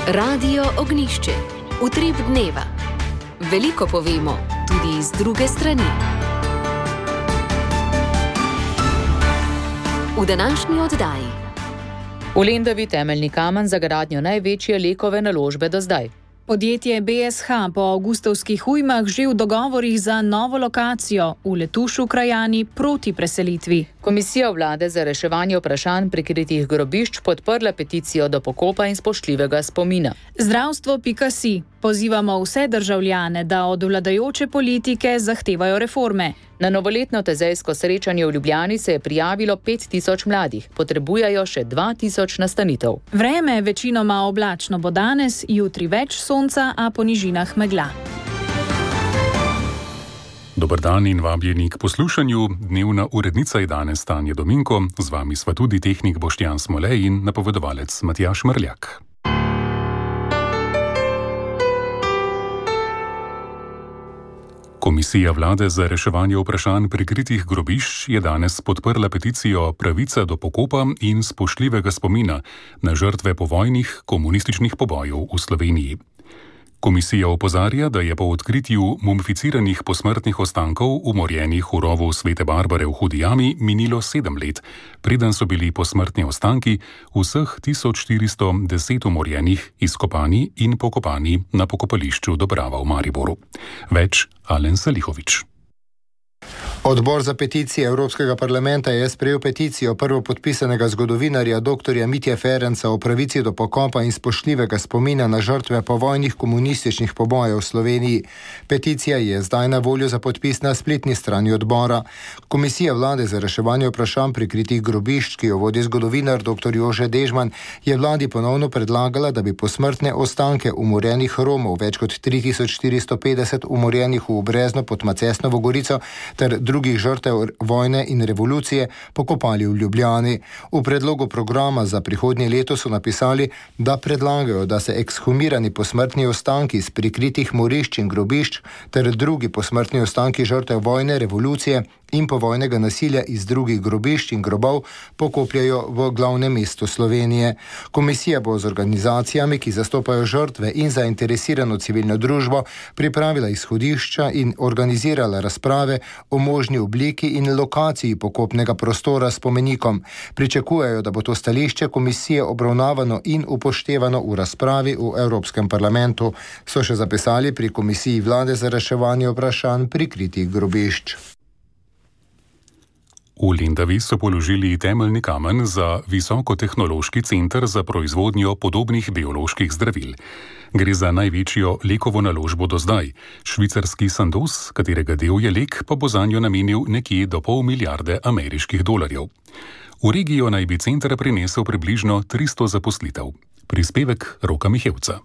Radio Ognišče, utrip dneva. Veliko povemo, tudi iz druge strani. V današnji oddaji. V Lendavi temeljni kamen za gradnjo največje Lekove naložbe do zdaj. Podjetje BSH po avgustovskih ujmah že v dogovorih za novo lokacijo, v Letušu krajani proti preselitvi. Komisija vlade za reševanje vprašanj prikritih grobišč podprla peticijo do pokopa in spoštljivega spomina. Zdravstvo.si. Pozivamo vse državljane, da od vladajoče politike zahtevajo reforme. Na novoletno tezejsko srečanje v Ljubljani se je prijavilo 5000 mladih. Potrebujejo še 2000 nastanitev. Vreme večinoma oblačno bo danes, jutri več sonca, a po nižinah megla. Dober dan in vabljeni k poslušanju. Dnevna urednica je danes Tanja Dominko, z vami sva tudi tehnik Boštjan Smolej in napovedovalec Matjaž Mrljak. Komisija vlade za reševanje vprašanj prikritih grobišč je danes podprla peticijo Pravica do pokopa in spoštljivega spomina na žrtve povojnih komunističnih pobojev v Sloveniji. Komisija opozarja, da je po odkritju mumificiranih posmrtnih ostankov umorjenih v rovu Svete Barbare v Hudi jami minilo 7 let, preden so bili posmrtni ostanki vseh 1410 umorjenih izkopani in pokopani na pokopališču Dobrava v Mariboru. Več Alen Salihovič. Odbor za peticije Evropskega parlamenta je sprejel peticijo prvopodpisanega zgodovinarja dr. Mitje Ferenca o pravici do pokopa in spoštljivega spomina na žrtve povojnih komunističnih pobojev v Sloveniji. Peticija je zdaj na voljo za podpis na spletni strani odbora. Komisija vlade za reševanje vprašanj prikritih grobišč, ki jo vodi zgodovinar dr. Jože Dežman, je vladi ponovno predlagala, da bi posmrtne ostanke umorjenih Romov, več kot 3450 umorjenih v Brezno pod Macesnovo Gorico, ter drugih žrtev vojne in revolucije pokopali v Ljubljani. V predlogu programa za prihodnje leto so napisali, da predlagajo, da se ekshumirani posmrtni ostanki z prikritih morišč in grobišč ter drugi posmrtni ostanki žrtev vojne, revolucije in povojnega nasilja iz drugih grobišč in grobov pokopljajo v glavnem mestu Slovenije. Komisija bo z organizacijami, ki zastopajo žrtve in zainteresirano civilno družbo, pripravila izhodišča in organizirala razprave o možni obliki in lokaciji pokopnega prostora s spomenikom. Pričakujejo, da bo to stališče komisije obravnavano in upoštevano v razpravi v Evropskem parlamentu, so še zapisali pri Komisiji vlade za reševanje vprašanj prikritih grobišč. V Lendavi so položili temeljni kamen za visokotehnološki center za proizvodnjo podobnih bioloških zdravil. Gre za največjo Lekovo naložbo do zdaj. Švicarski Sandoz, katerega del je Lek, pa bo zanjo namenil nekje do $500 milijarde ameriških dolarjev. V regijo naj bi center prinesel približno 300 zaposlitev. Prispevek Roka Mihevca.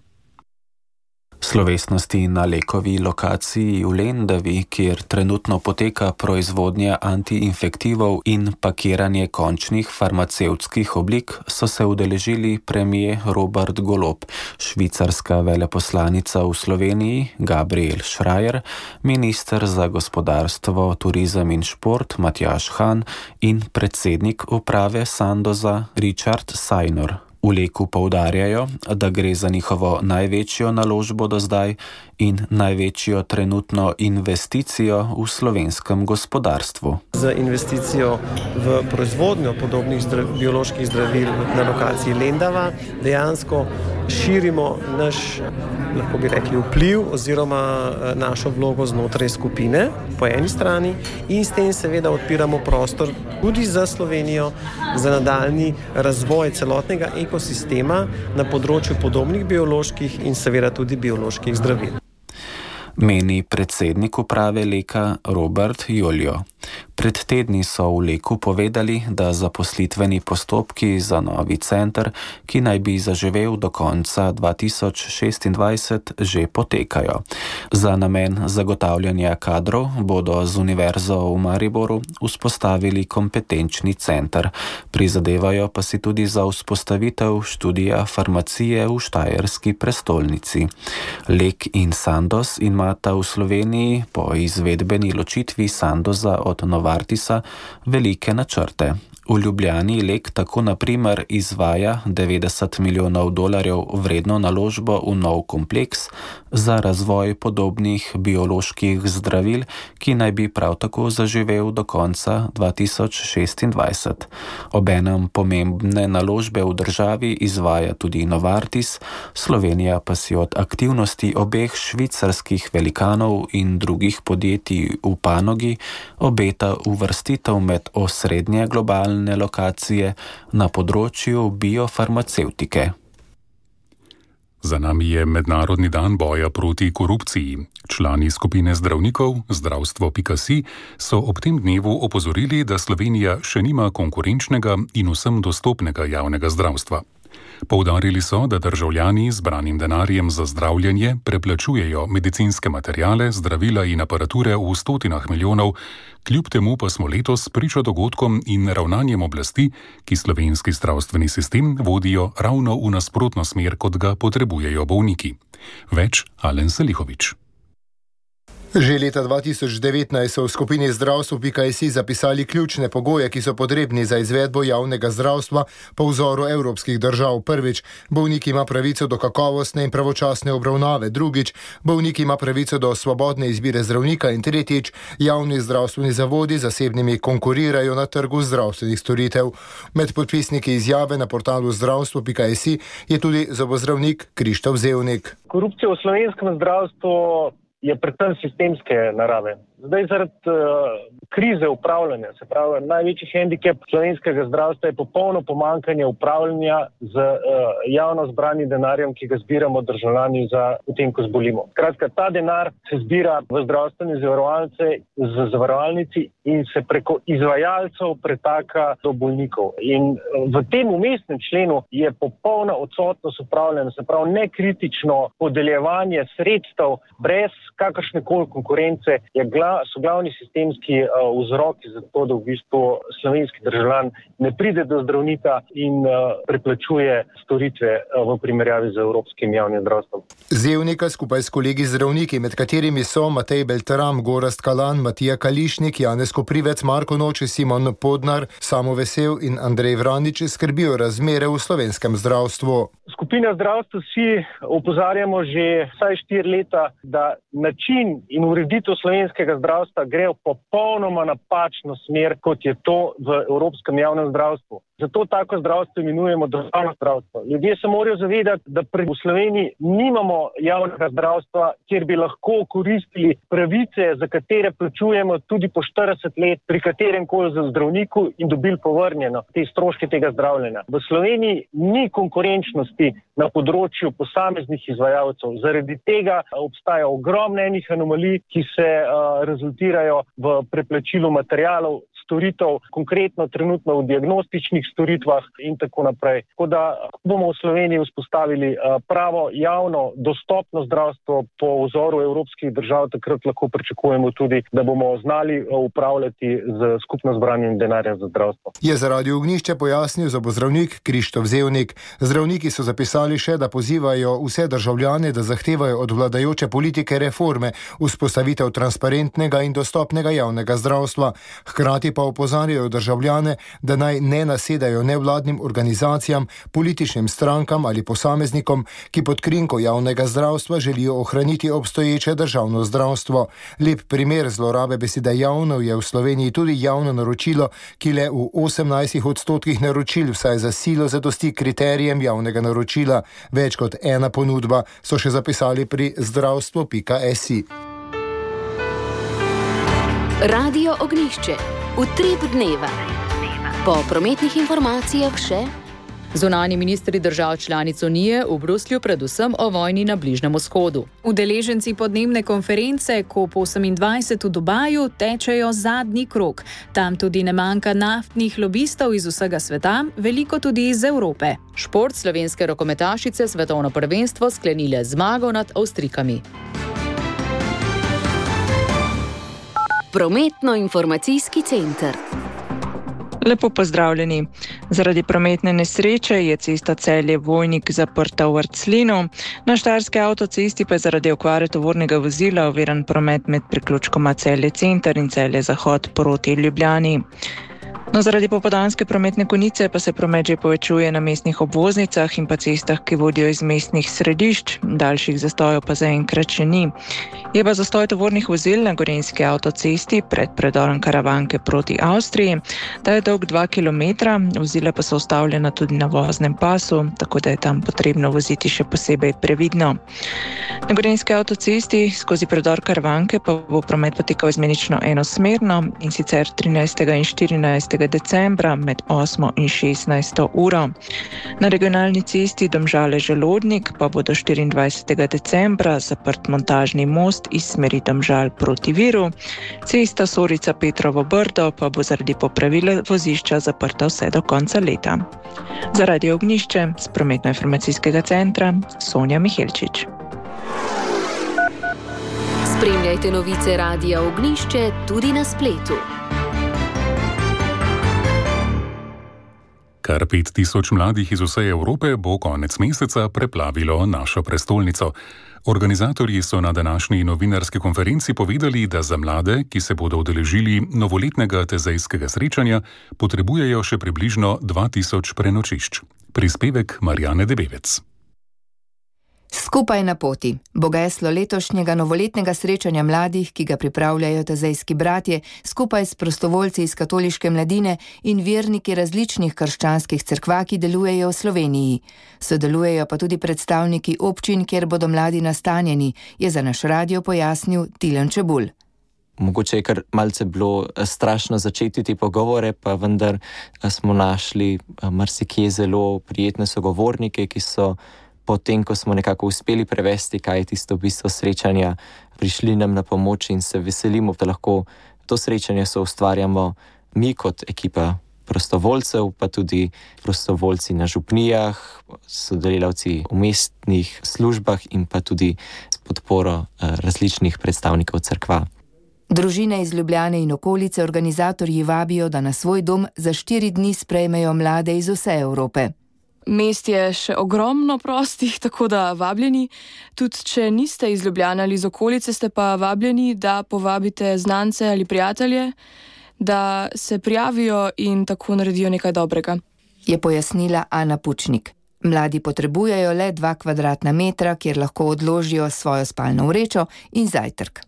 Slovesnosti na Lekovi lokaciji v Lendavi, kjer trenutno poteka proizvodnja antiinfektivov in pakiranje končnih farmacevtskih oblik, so se udeležili premier Robert Golob, švicarska veleposlanica v Sloveniji Gabriel Schreier, minister za gospodarstvo, turizem in šport Matjaž Han in predsednik uprave Sandoza Richard Sajnor. V Leku poudarjajo, da gre za njihovo največjo naložbo do zdaj in največjo trenutno investicijo v slovenskem gospodarstvu. Z investicijo v proizvodnjo podobnih bioloških zdravil na lokaciji Lendava dejansko širimo naš, lahko bi rekli, vpliv oziroma našo vlogo znotraj skupine po eni strani in s tem seveda odpiramo prostor tudi za Slovenijo za nadaljnji razvoj celotnega ekosistema na področju podobnih bioloških in seveda tudi bioloških zdravil. Meni predsednik uprave Leka Robert Joljo. Pred tedni so v Leku povedali, da zaposlitveni postopki za novi center, ki naj bi zaživel do konca 2026, že potekajo. Za namen zagotavljanja kadrov bodo z Univerzo v Mariboru vzpostavili kompetenčni center. Prizadevajo pa si tudi za vzpostavitev študija farmacije v štajerski prestolnici. Lek in Sandoz imata v Sloveniji po izvedbeni ločitvi Sandoza od Novartisa velike načrte. V Ljubljani LEK tako na primer izvaja $90 milijonov vredno naložbo v nov kompleks za razvoj podobnih bioloških zdravil, ki naj bi prav tako zaživel do konca 2026. Obenem pomembne naložbe v državi izvaja tudi Novartis, Slovenija pa si od aktivnosti obeh švicarskih velikanov in drugih podjetij v panogi obeta uvrstitev med osrednje globalne lokacije na področju biofarmacevtike. Za nami je Mednarodni dan boja proti korupciji. Člani skupine zdravnikov zdravstvo.si so ob tem dnevu opozorili, da Slovenija še nima konkurenčnega in vsem dostopnega javnega zdravstva. Poudarili so, da državljani z branim denarjem za zdravljenje preplačujejo medicinske materiale, zdravila in aparature v stotinah milijonov, kljub temu pa smo letos priča dogodkom in ravnanjem oblasti, ki slovenski zdravstveni sistem vodijo ravno v nasprotno smer, kot ga potrebujejo bolniki. Več Alen Selihovič. Že leta 2019 so v skupini zdravstvo.si zapisali ključne pogoje, ki so potrebni za izvedbo javnega zdravstva po vzoru evropskih držav. Prvič, bolnik ima pravico do kakovostne in pravočasne obravnave. Drugič, bolnik ima pravico do svobodne izbire zdravnika. In tretjič, javni zdravstveni zavodi zasebnimi konkurirajo na trgu zdravstvenih storitev. Med podpisniki izjave na portalu zdravstvo.si je tudi zobozdravnik Krištof Zevnik. Korupcija v slovenskem zdravstvu je predvsem sistemske narave. Zdaj zaradi krize upravljanja, se pravi, največji hendikep slovenskega zdravstva je popolno pomanjkanje upravljanja z javno zbranim denarjem, ki ga zbiramo državljani za potem, ko zbolimo. Skratka, ta denar se zbira v zdravstvene zavarovalnici in se preko izvajalcev pretaka do bolnikov. In v tem vmesnem členu je popolna odsotnost upravljanja, se pravi, nekritično podeljevanje sredstev brez kakršnekoli konkurence so glavni sistemski vzroki za to, da v bistvu slovenski državljan ne pride do zdravnika in preplačuje storitve v primerjavi z evropskim javnim zdravstvom. Zevnika skupaj s kolegi zdravniki, med katerimi so Matej Beltram, Gorazd Kalan, Matija Kališnik, Janez Koprivec, Marko Noče, Simon Podnar, Samo Vesel in Andrej Vranič skrbijo razmere v slovenskem zdravstvu. Skupina zdravstva si opozarjamo že vsaj 4 leta, da način in ureditev slovenskega zdravstva gre v popolnoma napačno smer, kot je to v evropskem javnem zdravstvu. Zato tako zdravstvo imenujemo državno zdravstvo. Ljudje se morajo zavedati, da v Sloveniji nimamo javnega zdravstva, kjer bi lahko koristili pravice, za katere plačujemo tudi po 40 let pri katerem koli zdravniku in dobili povrnjeno te stroške tega zdravljenja. V Sloveniji ni konkurenčnosti na področju posameznih izvajalcev. Zaradi tega obstaja ogromno enih anomalij, ki se rezultirajo v preplačilu materialov, storitev, konkretno trenutno v diagnostičnih storitvah in tako naprej. Tako da bomo v Sloveniji vzpostavili pravo, javno, dostopno zdravstvo po vzoru evropskih držav, takrat lahko pričakujemo tudi, da bomo znali upravljati z skupno zbranim denarjem za zdravstvo. Je za Radio Ognjišče pojasnil zobozdravnik Krištof Zevnik. Zdravniki so zapisali še, da pozivajo vse državljane, da zahtevajo od vladajoče politike reforme, vzpostavitev transparentnega in dostopnega javnega zdravstva. Hkrati pa opozarjajo državljane, da naj ne nasedajo nevladnim organizacijam, političnim strankam ali posameznikom, ki pod krinko javnega zdravstva želijo ohraniti obstoječe državno zdravstvo. Lep primer zlorabe besede javno je v Sloveniji tudi javno naročilo, ki le v 18% naročil vsaj za silo zadosti kriterijem javnega naročila. Več kot ena ponudba, so še zapisali pri zdravstvo.si. Radio Ognjišče. Utrip dneva. Po prometnih informacijah še. Zunanji ministri držav članic Unije v Bruslju predvsem o vojni na Bližnjem vzhodu. Udeleženci podnebne konference COP28 v Dubaju tečejo zadnji krog. Tam tudi ne manjka naftnih lobistov iz vsega sveta, veliko tudi iz Evrope. Šport slovenske rokometašice svetovno prvenstvo sklenile zmago nad Avstrijkami. Prometno-informacijski center. Lepo pozdravljeni. Zaradi prometne nesreče je cesta Celje-Vojnik zaprta v Vrclinu. Na štajerski avtocesti pa je zaradi okvare tovornega vozila oviran promet med priključkoma Celje Center in Celje Zahod proti Ljubljani. No, zaradi popoldanske prometne konice pa se promet že povečuje na mestnih obvoznicah in pa cestah, ki vodijo iz mestnih središč, daljših zastojev pa zaenkrat še ni. Je pa zastoj tovornih vozil na Gorenjski avtocesti pred predorom Karavanke proti Avstriji, da je dolg 2 km, vozila pa so ustavljena tudi na voznem pasu, tako da je tam potrebno voziti še posebej previdno. Na Gorenjski avtocesti skozi predor Karavanke pa bo promet potekal izmenično enosmerno, in sicer 13. in 14. decembra med 8. in 16. uro. Na regionalni cesti Domžale-Želodnik pa bo do 24. decembra zaprt montažni most iz smeri Domžal proti Viru. Cesta Sorica-Petrovo Brdo pa bo zaradi popravila vozišča zaprta vse do konca leta. Za Radio Ognjišče z prometno-informacijskega centra Sonja Mihelčič. Spremljajte novice Radia Ognjišče tudi na spletu. Kar 5000 mladih iz vse Evrope bo konec meseca preplavilo našo prestolnico. Organizatorji so na današnji novinarski konferenci povedali, da za mlade, ki se bodo udeležili novoletnega tezejskega srečanja, potrebujejo še približno 2000 prenočišč. Prispevek Marjane Debevec. Skupaj na poti bo geslo letošnjega novoletnega srečanja mladih, ki ga pripravljajo tezejski bratje, skupaj s prostovoljci iz katoliške mladine in verniki različnih krščanskih cerkva, ki delujejo v Sloveniji. Sodelujejo pa tudi predstavniki občin, kjer bodo mladi nastanjeni, je za naš radio pojasnil Tilen Čebulj. Mogoče je kar malce bilo strašno začeti te pogovore, pa vendar smo našli marsikje zelo prijetne sogovornike, ki so potem, ko smo nekako uspeli prevesti, kaj je tisto bistvo srečanja, prišli nam na pomoč in se veselimo, da lahko to srečanje soustvarjamo mi kot ekipa prostovoljcev, pa tudi prostovoljci na župnijah, sodelavci v mestnih službah in pa tudi s podporo različnih predstavnikov cerkva. Družine iz Ljubljane in okolice organizatorji vabijo, da na svoj dom za 4 dni sprejmejo mlade iz vse Evrope. Mest je še ogromno prostih, tako da vabljeni. Tudi če niste iz Ljubljane ali iz okolice, ste pa vabljeni, da povabite znance ali prijatelje, da se prijavijo in tako naredijo nekaj dobrega. Je pojasnila Ana Pučnik. Mladi potrebujejo le 2 kvadratna metra, kjer lahko odložijo svojo spalno vrečo in zajtrk.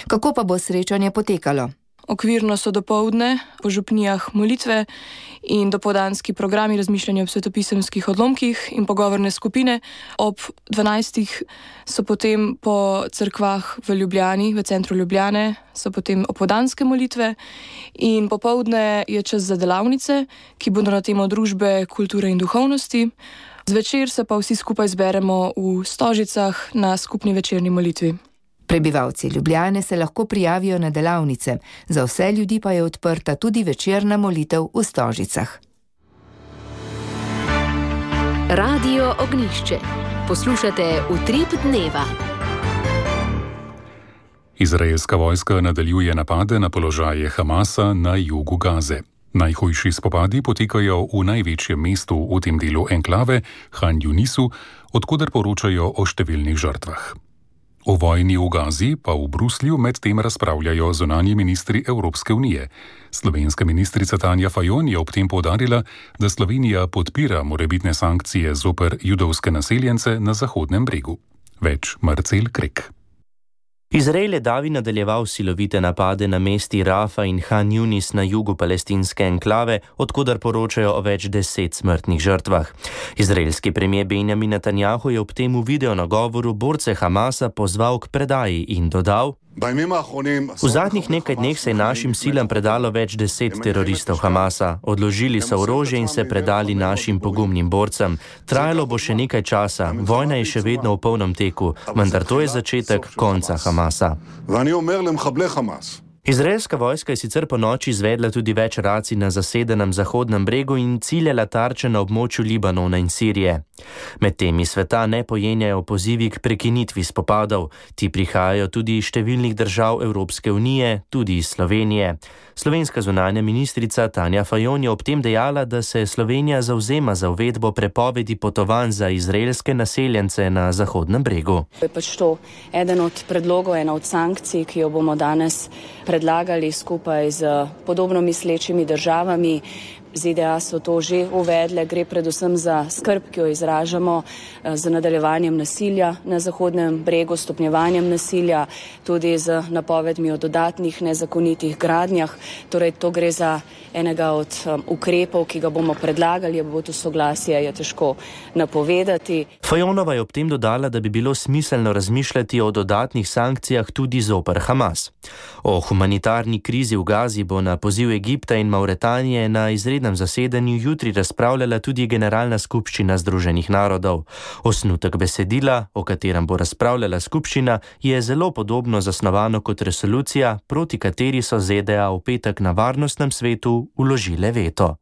Kako pa bo srečanje potekalo? Okvirno so dopoldne po župnijah molitve in dopoldanski programi razmišljanja o svetopisemskih odlomkih in pogovorne skupine. Ob 12. so potem po cerkvah v Ljubljani, v centru Ljubljane, so potem opoldanske molitve in popoldne je čas za delavnice, ki bodo na temo družbe, kulture in duhovnosti. Zvečer se pa vsi skupaj zberemo v Stožicah na skupni večerni molitvi. Prebivalci Ljubljane se lahko prijavijo na delavnice, za vse ljudi pa je odprta tudi večerna molitev v Stožicah. Radio Ognjišče. Poslušate Utrip dneva. Izraelska vojska nadaljuje napade na položaje Hamasa na jugu Gaze. Najhujši spopadi potekajo v največjem mestu v tem delu enklave, Han Junisu, odkoder poročajo o številnih žrtvah. O vojni v Gazi pa v Bruslju medtem razpravljajo zunanji ministri Evropske unije. Slovenska ministrica Tanja Fajon je ob tem poudarila, da Slovenija podpira morebitne sankcije zoper judovske naseljence na Zahodnem bregu. Več Marcel Krek. Izrael je davi nadaljeval silovite napade na mesti Rafa in Han Yunis na jugu palestinske enklave, odkudar poročajo o več 10 smrtnih žrtvah. Izraelski premijer Benjamin Netanjahu je ob tem v videonagovoru borce Hamasa pozval k predaji in dodal: V zadnjih nekaj dneh se je našim silam predalo več 10 teroristov Hamasa. Odložili so orožje in se predali našim pogumnim borcem. Trajalo bo še nekaj časa, vojna je še vedno v polnem teku, vendar to je začetek konca Hamasa. Izraelska vojska je sicer po noči izvedla tudi več racij na zasedenem Zahodnem bregu in ciljala tarče na območju Libanona in Sirije. Med temi sveta ne pojenjajo pozivi k prekinitvi spopadov. Ti prihajajo tudi iz številnih držav Evropske unije, tudi iz Slovenije. Slovenska zunanja ministrica Tanja Fajon je ob tem dejala, da se Slovenija zavzema za uvedbo prepovedi potovanj za izraelske naseljence na Zahodnem bregu. Je pač to eden od predlogov, ena od sankcij, ki jo bomo danes predlagali skupaj z podobno mislečimi državami. ZDA so to že uvedle, gre predvsem za skrb, ki jo izražamo z nadaljevanjem nasilja na Zahodnem bregu, stopnjevanjem nasilja, tudi z napovedmi o dodatnih nezakonitih gradnjah. Torej, to gre za enega od ukrepov, ki ga bomo predlagali, bo to soglasje, je težko napovedati. Fajonova je ob tem dodala, da bi bilo smiselno razmišljati o dodatnih sankcijah tudi zoper Hamas. O humanitarni krizi v Gazi bo na poziv Egipta in Mauretanije na izrednem zasedanju jutri razpravljala tudi Generalna skupščina Združenih narodov. Osnutek besedila, o katerem bo razpravljala skupščina, je zelo podobno zasnovano kot resolucija, proti kateri so ZDA v petek na Varnostnem svetu vložile veto.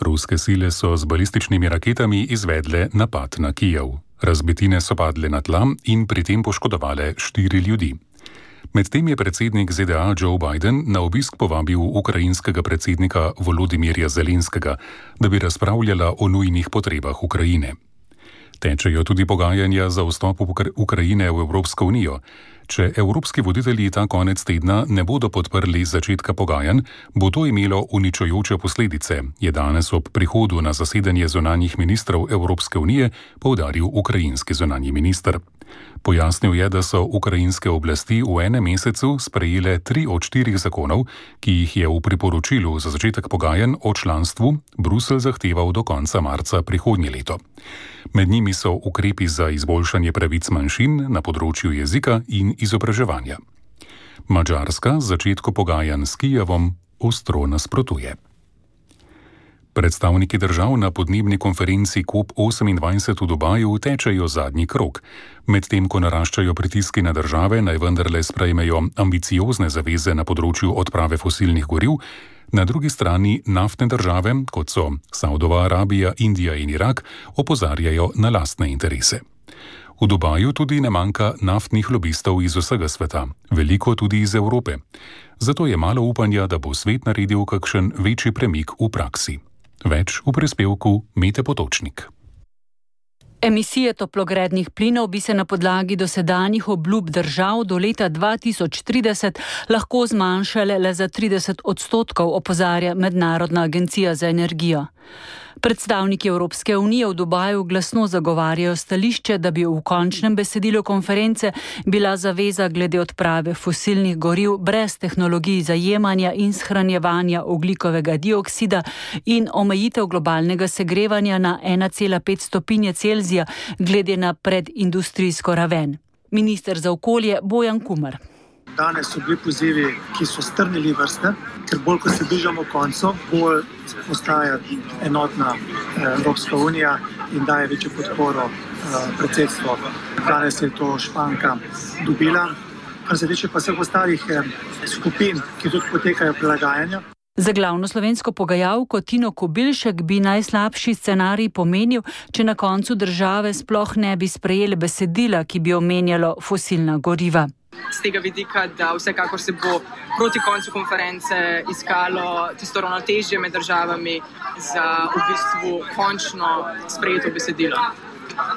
Ruske sile so z balističnimi raketami izvedle napad na Kijev. Razbitine so padle na tla in pri tem poškodovale 4 ljudi. Medtem je predsednik ZDA Joe Biden na obisk povabil ukrajinskega predsednika Volodimirja Zelenskega, da bi razpravljala o nujnih potrebah Ukrajine. Tečejo tudi pogajanja za vstop Ukrajine v Evropsko unijo. Če evropski voditelji ta konec tedna ne bodo podprli začetka pogajanj, bo to imelo uničujoče posledice, je danes ob prihodu na zasedanje zunanjih ministrov Evropske unije poudaril ukrajinski zunanji minister. Pojasnil je, da so ukrajinske oblasti v enem mesecu sprejele 3 od 4 zakonov, ki jih je v priporočilu za začetek pogajanj o članstvu Bruselj zahteval do konca marca prihodnje leto. Med njimi so ukrepi za izboljšanje pravic manjšin na področju jezika in izobraževanja. Madžarska začetku pogajanj s Kijevom ostro nasprotuje. Predstavniki držav na podnebni konferenci COP28 v Dubaju tečejo zadnji krog. Medtem ko naraščajo pritiski na države, naj vendarle sprejmejo ambiciozne zaveze na področju odprave fosilnih goriv, na drugi strani naftne države, kot so Saudova Arabija, Indija in Irak, opozarjajo na lastne interese. V Dubaju tudi ne manjka naftnih lobistov iz vsega sveta, veliko tudi iz Evrope. Zato je malo upanja, da bo svet naredil kakšen večji premik v praksi. Več v prispevku Mete Potočnik. Emisije toplogrednih plinov bi se na podlagi dosedanjih obljub držav do leta 2030 lahko zmanjšale le za 30%, opozarja Mednarodna agencija za energijo. Predstavniki Evropske unije v Dubaju glasno zagovarjajo stališče, da bi v končnem besedilu konference bila zaveza glede odprave fosilnih goriv brez tehnologij zajemanja in shranjevanja ogljikovega dioksida in omejitev globalnega segrevanja na 1,5 stopinje Celzija glede na predindustrijsko raven. Minister za okolje Bojan Kumer. Danes so bili pozivi, ki so strnili vrste, ker bolj, ko se bližamo koncu, bolj postaja enotna Evropska unija in daje večjo podporo predsedstvu. Danes je to Španka dobila. Kar se tiče pa vseh ostalih skupin, ki tudi potekajo prilagajanja. Za glavno slovensko pogajalko Tino Kobilšek bi najslabši scenarij pomenil, če na koncu države sploh ne bi sprejeli besedila, ki bi omenjalo fosilna goriva. Z tega vidika, da vsekakor se bo proti koncu konference iskalo tisto ravnotežje med državami za v bistvu končno sprejeto besedilo.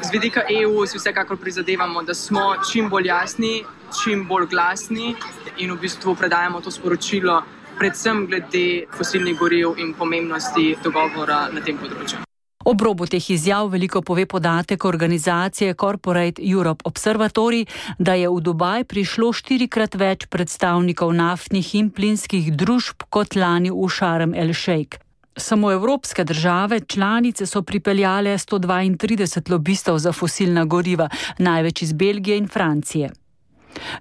Z vidika EU si vsekakor prizadevamo, da smo čim bolj jasni, čim bolj glasni in v bistvu predajamo to sporočilo predvsem glede fosilnih goriv in pomembnosti dogovora na tem področju. Ob robu teh izjav veliko pove podatek organizacije Corporate Europe Observatory, da je v Dubaj prišlo 4-krat več predstavnikov naftnih in plinskih družb kot lani v Sharm el Sheikh. Samo evropske države članice so pripeljale 132 lobistov za fosilna goriva, največ iz Belgije in Francije.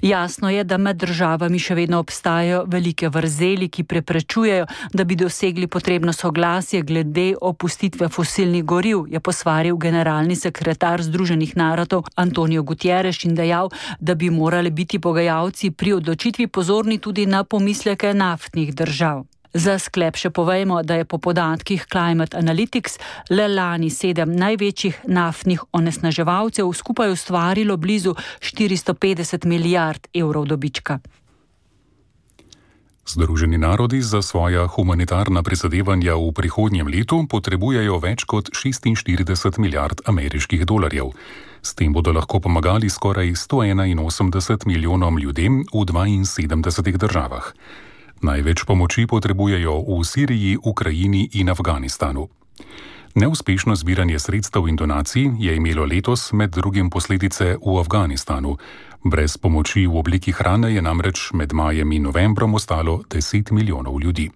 Jasno je, da med državami še vedno obstajajo velike vrzeli, ki preprečujejo, da bi dosegli potrebno soglasje glede opustitve fosilnih goriv, je posvaril generalni sekretar Združenih narodov Antonio Guterres in dejal, da bi morali biti pogajalci pri odločitvi pozorni tudi na pomisleke naftnih držav. Za sklep še povejmo, da je po podatkih Climate Analytics le lani 7 največjih naftnih onesnaževalcev skupaj ustvarilo blizu 450 milijard evrov dobička. Združeni narodi za svoja humanitarna prizadevanja v prihodnjem letu potrebujejo več kot 46 milijard ameriških dolarjev. S tem bodo lahko pomagali skoraj 181 milijonom ljudem v 72 državah. Največ pomoči potrebujejo v Siriji, Ukrajini in Afganistanu. Neuspešno zbiranje sredstev in donacij je imelo letos med drugim posledice v Afganistanu. Brez pomoči v obliki hrane je namreč med majem in novembrom ostalo 10 milijonov ljudi.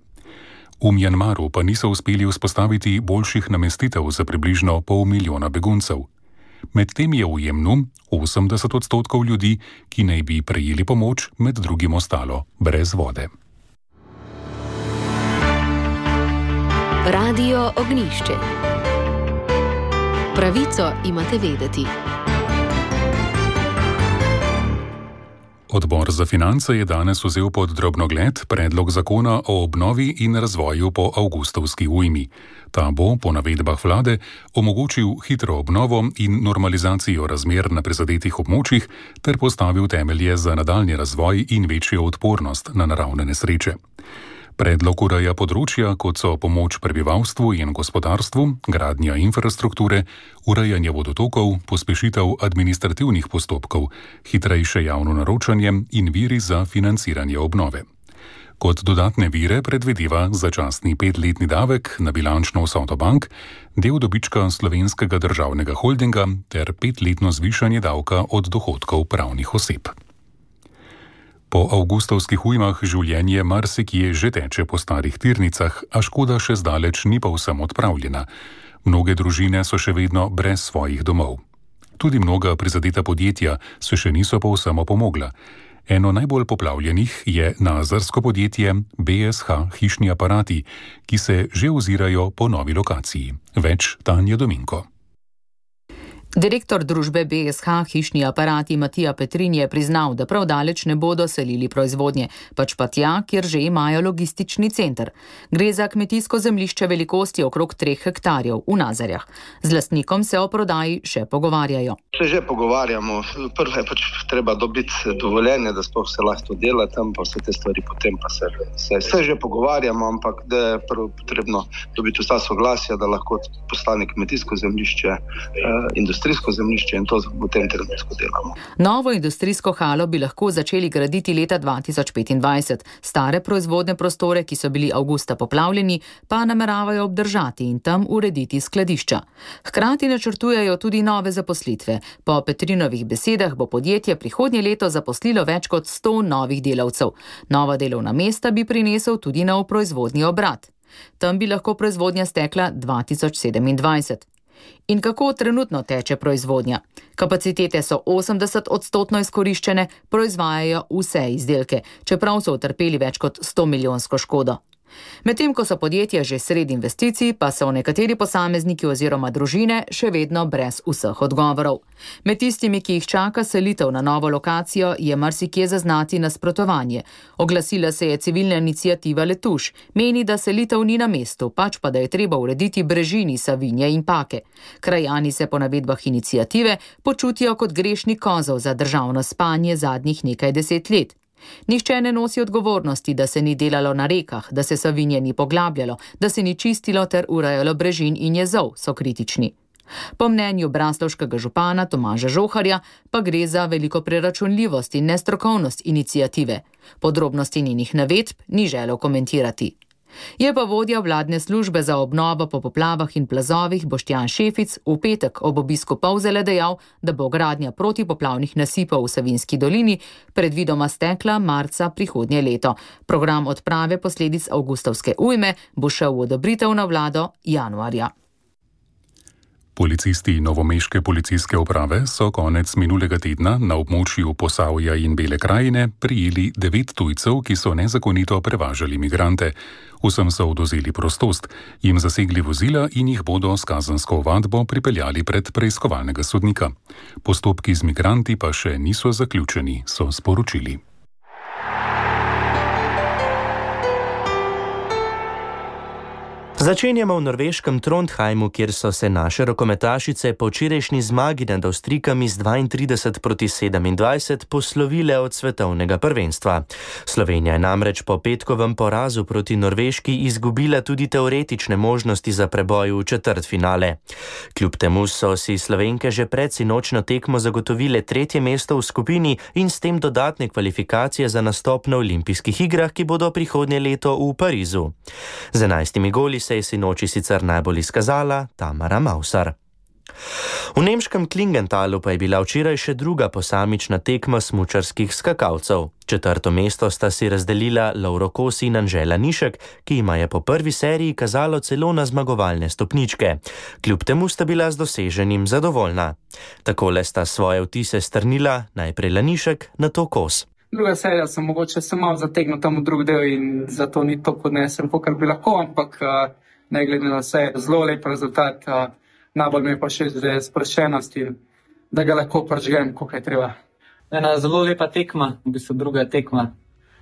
V Mjanmaru pa niso uspeli vzpostaviti boljših namestitev za približno 500 milijona beguncev. Medtem je v Jemnu 80% ljudi, ki naj bi prejeli pomoč, med drugim ostalo brez vode. Radio Ognišče. Pravico imate vedeti. Odbor za finance je danes vzel pod drobnogled predlog zakona o obnovi in razvoju po avgustovski ujmi. Ta bo, po navedbah vlade, omogočil hitro obnovo in normalizacijo razmer na prizadetih območjih ter postavil temelje za nadaljnji razvoj in večjo odpornost na naravne nesreče. Predlog ureja področja, kot so pomoč prebivalstvu in gospodarstvu, gradnja infrastrukture, urejanje vodotokov, pospešitev administrativnih postopkov, hitrejše javno naročanje in viri za financiranje obnove. Kot dodatne vire predvideva začasni 5-letni davek na bilančno vsoto bank, del dobička Slovenskega državnega holdinga ter 5-letno zvišanje davka od dohodkov pravnih oseb. Po avgustovskih ujmah življenje marsikje že teče po starih tirnicah, a škoda še zdaleč ni povsem odpravljena. Mnoge družine so še vedno brez svojih domov. Tudi mnoga prizadeta podjetja se še niso povsem opomogla. Eno najbolj poplavljenih je nazarsko podjetje BSH Hišni aparati, ki se že ozirajo po novi lokaciji. Več Tanja Dominko. Direktor družbe BSH Hišni aparati Matija Petrin je priznal, da prav daleč ne bodo selili proizvodnje, pač pa tja, kjer že imajo logistični center. Gre za kmetijsko zemljišče velikosti okrog 3 hektarjev v Nazarjah. Z lastnikom se o prodaji še pogovarjajo. Se že pogovarjamo. Prvo je pač treba dobiti dovoljenje, da sploh se lahko dela tam, pa vse te stvari potem pa se že pogovarjamo, ampak da je prvo potrebno dobiti vsa soglasja, da lahko postane kmetijsko zemljišče, industrijsko zemljišče in to v tem trenutku delamo. Novo industrijsko halo bi lahko začeli graditi leta 2025. Stare proizvodne prostore, ki so bili avgusta poplavljeni, pa nameravajo obdržati in tam urediti skladišča. Hkrati načrtujejo tudi nove zaposlitve. Po Petrinovih besedah bo podjetje prihodnje leto zaposlilo več kot 100 novih delavcev. Nova delovna mesta bi prinesel tudi nov proizvodni obrat. Tam bi lahko proizvodnja stekla 2027. In kako trenutno teče proizvodnja? Kapacitete so 80% izkoriščene, proizvajajo vse izdelke, čeprav so utrpeli več kot 100 milijonsko škodo. Medtem ko so podjetja že sredi investicij, pa so nekateri posamezniki oziroma družine še vedno brez vseh odgovorov. Med tistimi, ki jih čaka selitev na novo lokacijo, je marsikje zaznati nasprotovanje. Oglasila se je civilna iniciativa Letuš. Meni, da selitev ni na mestu, pač pa da je treba urediti brežini Savinje in Pake. Krajani se po navedbah iniciative počutijo kot grešni kozel za državno spanje zadnjih nekaj 10 let. Nihče ne nosi odgovornosti, da se ni delalo na rekah, da se Savinje ni poglabljalo, da se ni čistilo ter urejalo brežin in jezov, so kritični. Po mnenju braslovškega župana Tomaža Žoharja pa gre za veliko preračunljivost in nestrokovnost iniciative. Podrobnosti njenih navedb ni želel komentirati. Je pa vodja vladne službe za obnovo po poplavah in plazovih Boštjan Šefic v petek ob obisku Polzele dejal, da bo gradnja protipoplavnih nasipov v Savinjski dolini predvidoma stekla marca prihodnje leto. Program odprave posledic avgustovske ujme bo šel v odobritev na vlado januarja. Policisti novomeške policijske uprave so konec minulega tedna na območju Posavja in Bele krajine prijeli 9 tujcev, ki so nezakonito prevažali migrante. Vsem so odvzeli prostost, jim zasegli vozila in jih bodo s kazensko ovadbo pripeljali pred preiskovalnega sodnika. Postopki z migranti pa še niso zaključeni, so sporočili. Začenjamo v norveškem Trondheimu, kjer so se naše rokometašice po včerajšnji zmagi nad Avstrijkami z 32-27 poslovile od svetovnega prvenstva. Slovenija je namreč po petkovem porazu proti Norveški izgubila tudi teoretične možnosti za preboj v četrtfinale. Kljub temu so si Slovenke že pred sinočno tekmo zagotovile 3. mesto v skupini in s tem dodatne kvalifikacije za nastop na olimpijskih igrah, ki bodo prihodnje leto v Parizu. Z 11 goli se je sinoči sicer najbolj izkazala Tamara Mausar. V nemškem Klingentalu pa je bila včeraj še druga posamična tekma smučarskih skakalcev. 4. mesto sta si razdelila Lauro Kos in Anžela Nišek, ki jima je po prvi seriji kazalo celo na zmagovalne stopničke. Kljub temu sta bila z doseženim zadovoljna. Takole sta svoje vtise strnila najprej Lanišek, nato Kos. Druga serija sem mogoče se malo zategnil tam v drug del in zato ni to podnesem, kakor bi lahko, ampak ne glede na vse, zelo lep rezultat. Najbolj mi je pa še sproščenost in da ga lahko pržgem, koliko je treba. Ena zelo lepa tekma, v bistvu druga tekma.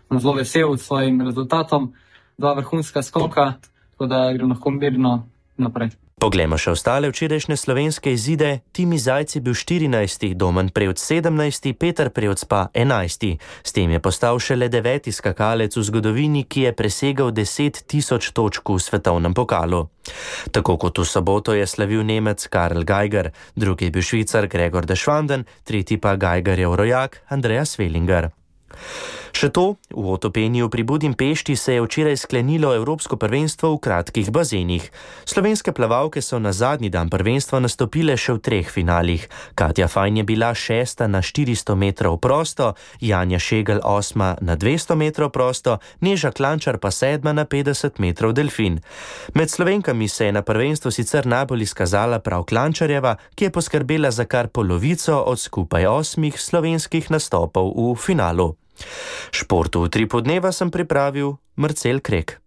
Sem zelo vesel s svojim rezultatom, 2 vrhunska skoka, tako da grem lahko mirno naprej. Poglejmo še ostale včerajšnje slovenske izide. Timi Zajc je bil 14., Domen Prevc 17., Peter Prevc pa 11. S tem je postal šele 9. skakalec v zgodovini, ki je presegal 10 000 točk v svetovnem pokalu. Tako kot v soboto je slavil Nemec Karl Geiger, drugi je bil Švicar Gregor de Schwanden, tretji pa Geigerjev rojak Andreas Wellinger. Še to, v Otopeniju pri Budimpešti se je včeraj sklenilo Evropsko prvenstvo v kratkih bazenih. Slovenske plavalke so na zadnji dan prvenstva nastopile še v 3 finalih. Katja Fajn je bila 6. na 400 metrov prosto, Janja Šegel 8. na 200 metrov prosto, Neža Klančar pa 7. na 50 metrov delfin. Med Slovenkami se je na prvenstvu sicer najbolj izkazala prav Klančarjeva, ki je poskrbela za kar polovico od skupaj 8 slovenskih nastopov v finalu. Športu v Utripu dneva sem pripravil Marcel Krek.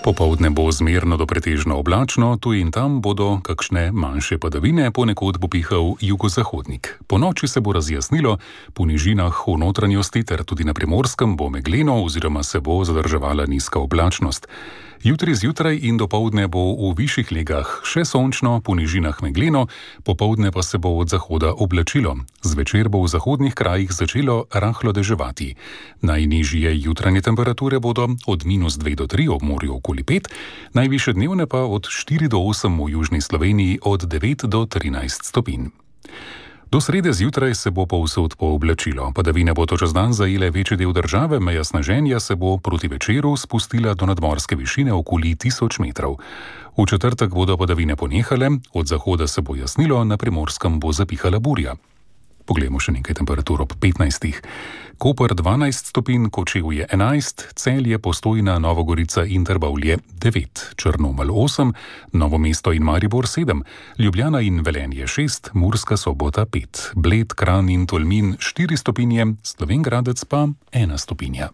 Popoldne bo zmerno do pretežno oblačno, tu in tam bodo kakšne manjše padavine, ponekod bo pihal jugozahodnik. Ponoči se bo razjasnilo, po nižinah v notranjosti ter tudi na Primorskem bo megleno oziroma se bo zadrževala nizka oblačnost. Jutri zjutraj in dopoldne bo v višjih legah še sončno, po nižinah megleno, popoldne pa se bo od zahoda oblačilo. Zvečer bo v zahodnih krajih začelo rahlo deževati. Najnižje jutranje temperature bodo od -2 do 3 ob morju okoli 5, najvišje dnevne pa od 4 do 8 v južni Sloveniji od 9 do 13 stopinj. Do srede zjutraj se bo povsod pooblačilo. Padavine bo čez dan zajele večji del države, meja sneženja se bo proti večeru spustila do nadmorske višine okoli 1000 metrov. V četrtek bodo padavine ponehale, od zahoda se bo jasnilo, na Primorskem bo zapihala burja. Poglejmo še nekaj temperatur ob 15. Koper 12 stopinj, Kočevje 11, Celje, Postojna, Nova Gorica in Trbovlje 9, Črnomelj 8, Novo mesto in Maribor 7, Ljubljana in Velenje 6, Murska Sobota 5, Bled, Kranj in Tolmin 4 stopinje, Slovenj Gradec pa 1 stopinja.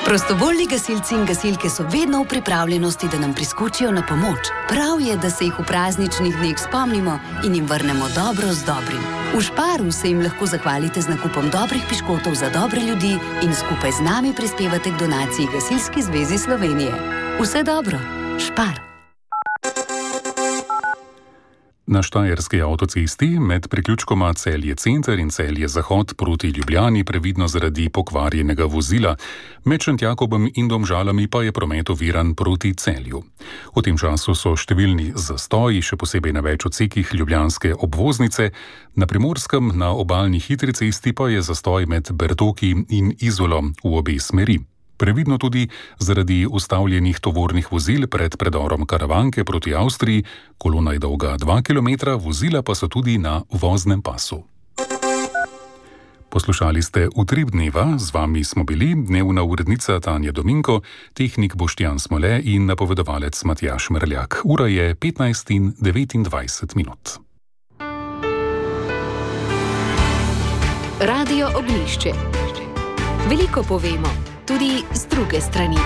Prostovoljni gasilci in gasilke so vedno v pripravljenosti, da nam priskočijo na pomoč. Prav je, da se jih v prazničnih dneh spomnimo in jim vrnemo dobro z dobrim. V Šparu se jim lahko zahvalite z nakupom dobrih piškotov za dobre ljudi in skupaj z nami prispevate k donaciji Gasilski zvezi Slovenije. Vse dobro, Špar. Na Štajerski avtocesti med priključkoma Celje Center in Celje Zahod proti Ljubljani previdno zaradi pokvarjenega vozila, med Šentjakobom in Domžalami pa je promet oviran proti Celju. V tem času so številni zastoji, še posebej na več odsekih ljubljanske obvoznice, na Primorskem na obalni hitri cesti pa je zastoj med Bertoki in Izolo v obe smeri. Previdno tudi zaradi ustavljenih tovornih vozil pred predorom Karavanke proti Avstriji, kolona je dolga 2 km, vozila pa so tudi na voznem pasu. Poslušali ste Utrip dneva, z vami smo bili dnevna urednica Tanja Dominko, tehnik Boštjan Smole in napovedovalec Matjaž Merljak. Ura je 15:29 minut. Radio Ognjišče. Veliko povemo, tudi z druge strani.